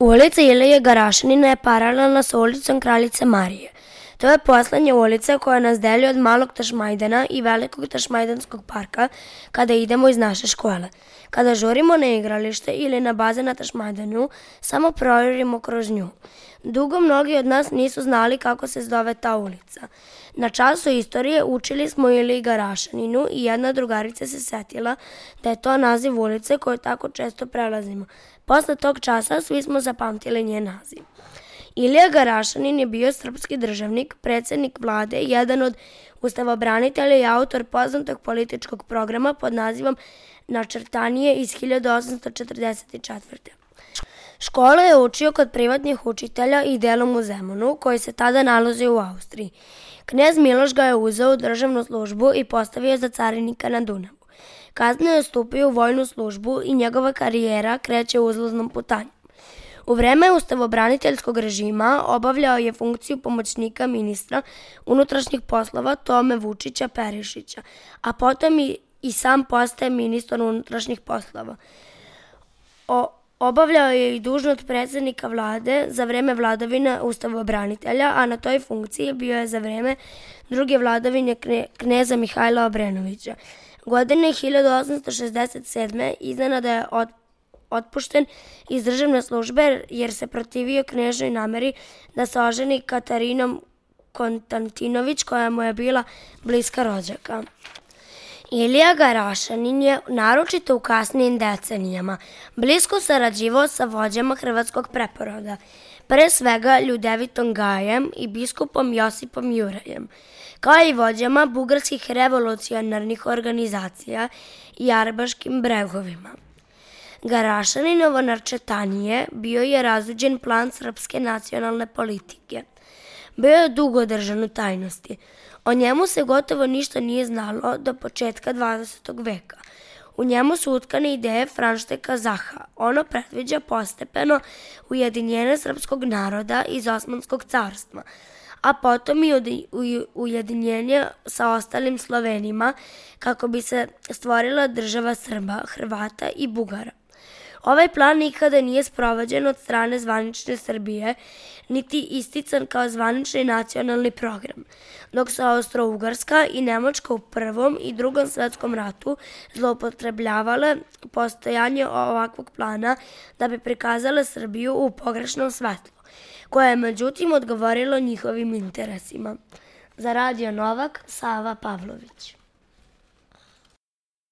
Ulica Ilije Garašanina je paralelna sa ulicom Kraljice Marije. To je poslednja ulica koja nas deli od Malog Tašmajdana i Velikog Tašmajdanskog parka kada idemo iz naše škole. Kada žurimo na igralište ili na bazen na Tašmajdanu, samo projurimo kroz nju. Dugo mnogi od nas nisu znali kako se zove ta ulica. Na času istorije učili smo Iliji Garašaninu i jedna drugarica se setila da je to naziv ulice koju tako često prelazimo. Posle tog časa svi smo zapamtili njen naziv. Ilija Garašanin je bio srpski državnik, predsednik vlade, jedan od ustavobranitelja i autor poznatog političkog programa pod nazivom Načrtanije iz 1844. Školu je učio kod privatnih učitelja i delom u Zemunu, koji se tada nalazi u Austriji. Knez Miloš ga je uzeo u državnu službu i postavio za carinika na Dunavu. Kasnije je stupio u vojnu službu i njegova karijera kreće uzlaznom putanjom. U vreme ustavobraniteljskog režima obavljao je funkciju pomoćnika ministra unutrašnjih poslova Tome Vučića Perišića, a potom i sam postaje ministar unutrašnjih poslova. Obavljao je i dužnost predsednika vlade za vreme vladavine ustavobranitelja, a na toj funkciji bio je za vreme druge vladavine kneza Mihajla Obrenovića. Godine 1867. iznenada je otpušten iz državne službe jer se protivio knežnoj nameri da se oženi Katarinom Konstantinović, koja mu je bila bliska rođaka. Ilija Garašanin je, naročito u kasnijim decenijama, blisko sarađivao sa vođama hrvatskog preporoda, pre svega Ljudevitom Gajem i biskupom Josipom Jurajem, kao i vođama bugarskih revolucionarnih organizacija i Arbaškim bregovima. Garašaninovo načrtanije bio je razuđen plan srpske nacionalne politike. Bio je dugo održan u tajnosti. O njemu se gotovo ništa nije znalo do početka 20. veka. U njemu su utkane ideje Franšteka Zaha. Ono predviđa postepeno ujedinjenje srpskog naroda iz Osmanskog carstva, a potom i ujedinjenje sa ostalim Slovenima kako bi se stvorila država Srba, Hrvata i Bugara. Ovaj plan nikada nije sprovođen od strane zvanične Srbije, niti istican kao zvanični nacionalni program, dok su Austro-Ugarska i Nemačka u Prvom i Drugom svetskom ratu zloupotrebljavale postojanje ovakvog plana da bi prikazale Srbiju u pogrešnom svetlu, koje je međutim odgovorilo njihovim interesima. Za Radio Novak, Sava Pavlović.